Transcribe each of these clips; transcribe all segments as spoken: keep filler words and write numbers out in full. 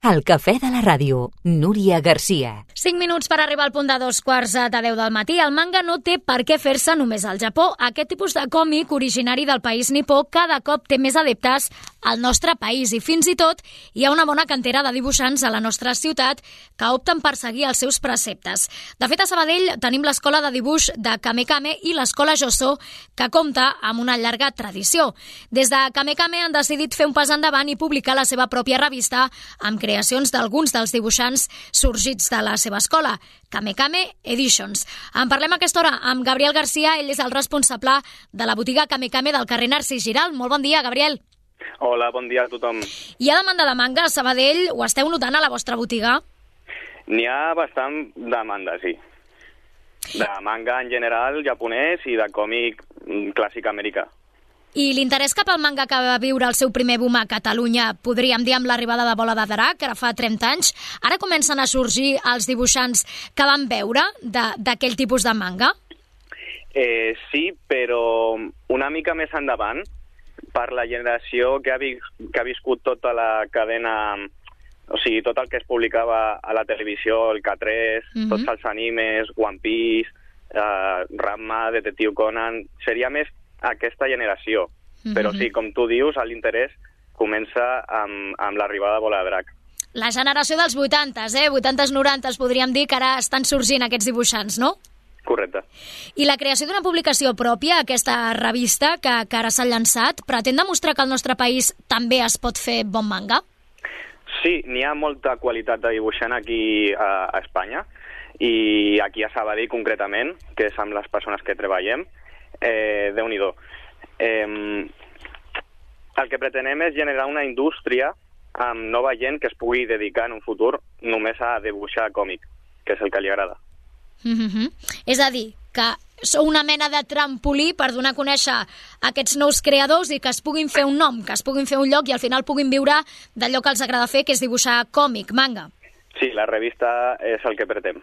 El cafè de la ràdio, Núria Garcia. cinc minuts per arribar al punt de dos quarts de deu del matí. El manga no té per què fer-se només al Japó. Aquest tipus de còmic, originari del país nipó, cada cop té més adeptes al nostre país i fins i tot hi ha una bona cantera de dibuixants a la nostra ciutat que opten per seguir els seus preceptes. De fet, a Sabadell tenim l'escola de dibuix de Kame Kame i l'escola Josó, que compta amb una llarga tradició. Des de Kame Kame han decidit fer un pas endavant i publicar la seva pròpia revista amb creacions d'alguns dels dibuixants sorgits de la seva escola, Kame Kame Editions. En parlem a aquesta hora amb Gabriel Garcia, ell és el responsable de la botiga Kame Kame del carrer Narcís Giral. Molt bon dia, Gabriel. Hola, bon dia a tothom. Hi ha demanda de manga a Sabadell? Ho esteu notant a la vostra botiga? N'hi ha bastant demanda, sí. De manga en general, japonès, i de còmic clàssic americà. I l'interès cap al manga que va viure el seu primer boom a Catalunya, podríem dir amb l'arribada de Bola de Drac, que ara fa trenta anys, ara comencen a sorgir els dibuixants que van veure d'aquell tipus de manga? Eh, sí, però una mica més endavant, per la generació que ha, vis que ha viscut tota la cadena, o sigui, tot el que es publicava a la televisió, el K tres, uh-huh. tots els animes, One Piece, eh, Ranma, Detective Conan, seria més aquesta generació. Uh-huh. Però sí, com tu dius, l'interès comença amb, amb l'arribada de Bola de Drac. La generació dels vuitantes, eh? vuitantes norantes, podríem dir que ara estan sorgint aquests dibuixants, no? Correcte. I la creació d'una publicació pròpia, aquesta revista que, que ara s'ha llançat, pretén demostrar que al nostre país també es pot fer bon manga? Sí, n'hi ha molta qualitat de dibuixant aquí a, a Espanya, i aquí a Sabadell concretament, que és amb les persones que treballem, eh, Déu-n'hi-do. Eh, el que pretenem és generar una indústria amb nova gent que es pugui dedicar en un futur només a dibuixar còmic, que és el que li agrada. Mm-hmm. És a dir, que sou una mena de trampolí per donar a conèixer aquests nous creadors i que es puguin fer un nom, que es puguin fer un lloc i al final puguin viure d'allò que els agrada fer, que és dibuixar còmic, manga. Sí, la revista és el que pretén.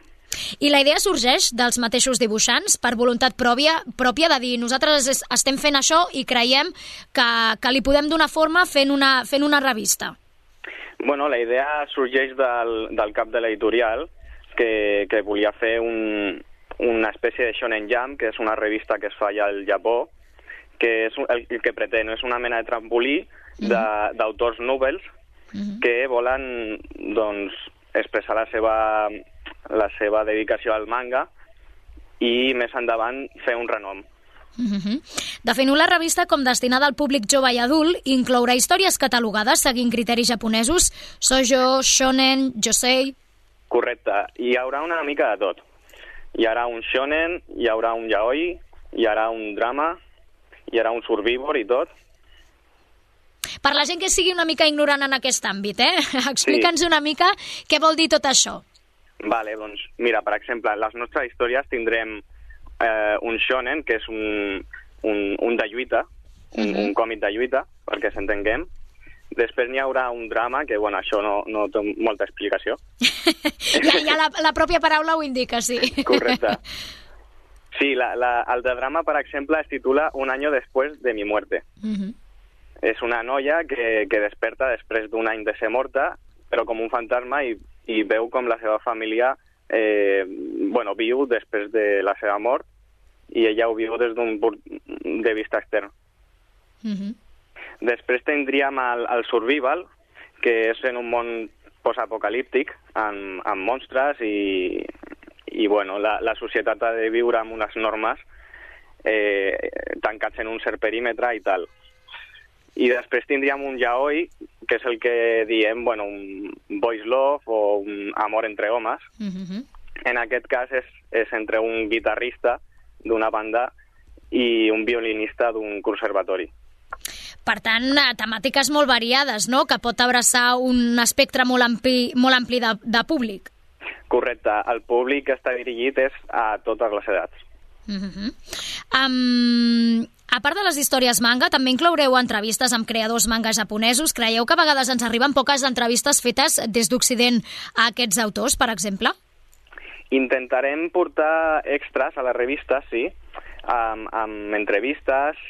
I la idea sorgeix dels mateixos dibuixants per voluntat pròpia, pròpia de dir nosaltres estem fent això i creiem que, que li podem donar forma fent una, fent una revista. Bueno, la idea sorgeix del, del cap de l'editorial, que, que volia fer un, una espècie de Shonen Jump, que és una revista que es fa allà al Japó, que és el, el que pretén, és una mena de trampolí d'autors uh-huh. nobles uh-huh. que volen doncs, expressar la seva, la seva dedicació al manga i més endavant fer un renom. Uh-huh. Definiu la revista com destinada al públic jove i adult i inclourà històries catalogades seguint criteris japonesos, shoujo, shonen, josei... Correcte. Hi haurà una mica de tot. Hi haurà un shonen, hi haurà un yaoi, hi haurà un drama, hi haurà un survivor i tot. Per la gent que sigui una mica ignorant en aquest àmbit, eh? Explica'ns sí. una mica què vol dir tot això. Vale, doncs, mira, per exemple, en les nostres històries tindrem eh, un shonen, que és un, un, un de lluita, un, uh-huh. un còmic de lluita, perquè s'entenguem. Després n'hi haurà un drama, que bueno, això no, no té molta explicació. ja ja la, la pròpia paraula ho indica, sí. Correcte. Sí, la, la, el de drama, per exemple, es titula Un año después de mi muerte. Uh-huh. És una noia que, que desperta després d'un any de ser morta, però com un fantasma, i, i veu com la seva família eh, bueno, viu després de la seva mort, i ella ho viu des d'un punt de vista extern. Uh-huh. Després tindríem el, el survival, que és en un món postapocalíptic, amb, amb monstres, i, i bueno, la, la societat ha de viure amb unes normes eh, tancats en un cert perímetre i tal. I després tindríem un yaoi, que és el que diem, bueno, un boys love o un amor entre homes. Uh-huh. En aquest cas és, és entre un guitarrista d'una banda i un violinista d'un conservatori. Per tant, temàtiques molt variades, no?, que pot abraçar un espectre molt ampli, molt ampli de, de públic. Correcte. El públic que està dirigit és a totes les edats. Uh-huh. um, a part de les històries manga, també incloureu entrevistes amb creadors manga japonesos. Creieu que a vegades ens arriben poques entrevistes fetes des d'Occident a aquests autors, per exemple? Intentarem portar extras a la revista, sí, amb, amb entrevistes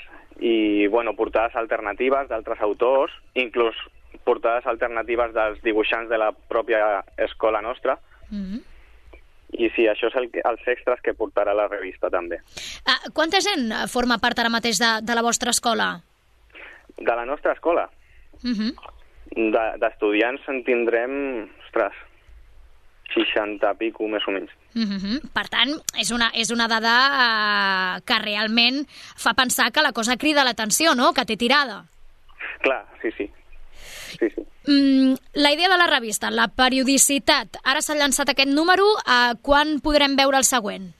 i bueno, portades alternatives d'altres autors, inclús portades alternatives dels dibuixants de la pròpia escola nostra. Mm-hmm. I sí, això és el, els extras que portarà la revista també. Ah, quanta gent forma part ara mateix de, de la vostra escola? De la nostra escola? Mm-hmm. D'estudiants de, en tindrem, ostres, seixanta pico, més o menys. Mm-hmm. Per tant, és una, és una dada eh, que realment fa pensar que la cosa crida l'atenció, no?, que té tirada. Clar, sí, sí. sí, sí. Mm, la idea de la revista, la periodicitat. Ara s'ha llançat aquest número, eh, quan podrem veure el següent?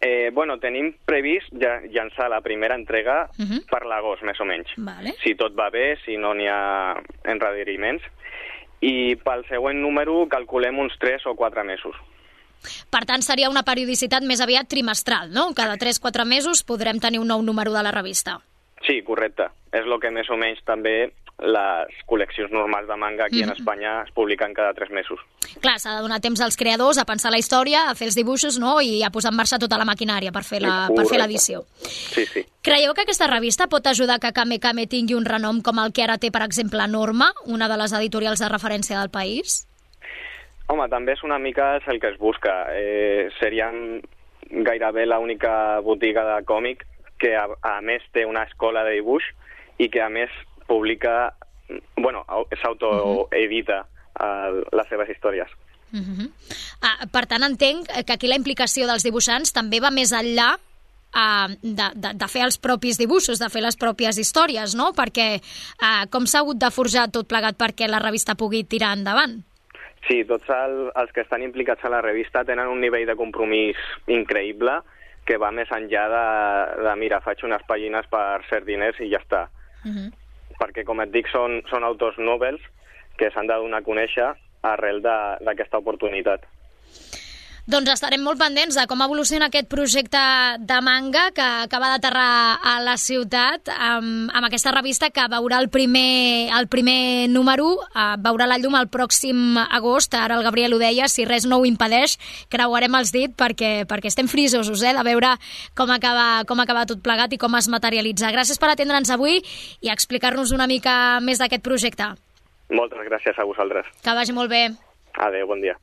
Eh, bueno, tenim previst ja, llançar la primera entrega uh-huh. per l'agost, més o menys. Vale. Si tot va bé, si no n'hi ha enrediriments. I pel següent número calculem uns tres o quatre mesos. Per tant, seria una periodicitat més aviat trimestral, no? Cada tres o quatre mesos podrem tenir un nou número de la revista. Sí, correcte. És el que més o menys també les col·leccions normals de manga aquí mm-hmm. en Espanya es publiquen cada tres mesos. Clar, s'ha de donar temps als creadors a pensar la història, a fer els dibuixos, no?, i a posar en marxa tota la maquinària per fer la, per fer l'edició. Sí, sí. Creieu que aquesta revista pot ajudar que Kame Kame tingui un renom com el que ara té, per exemple, Norma, una de les editorials de referència del país? Home, també és una mica el que es busca. Eh, seríem gairebé l'única botiga de còmic que a, a més té una escola de dibuix i que a més publica, bueno, s'autoedita uh, les seves històries. Uh-huh. Ah, per tant, entenc que aquí la implicació dels dibuixants també va més enllà uh, de, de, de fer els propis dibuixos, de fer les pròpies històries, no? Perquè uh, com s'ha hagut de forjar tot plegat perquè la revista pugui tirar endavant? Sí, tots el, els que estan implicats a la revista tenen un nivell de compromís increïble que va més enllà de, de mira, faig unes pàgines per ser diners i ja està. Uh-huh. Perquè, com et dic, són, són autors nobles que s'han de donar a conèixer arrel d'aquesta oportunitat. Doncs estarem molt pendents de com evoluciona aquest projecte de manga que acaba d'aterrar a la ciutat amb, amb aquesta revista que veurà el primer, el primer número, uh, veurà la llum el pròxim agost. Ara el Gabriel ho deia, si res no ho impedeix, creuarem els dits perquè, perquè estem frisosos eh, de veure com acaba, com acaba tot plegat i com es materialitza. Gràcies per atendre'ns avui i explicar-nos una mica més d'aquest projecte. Moltes gràcies a vosaltres. Que vagi molt bé. Adéu, bon dia.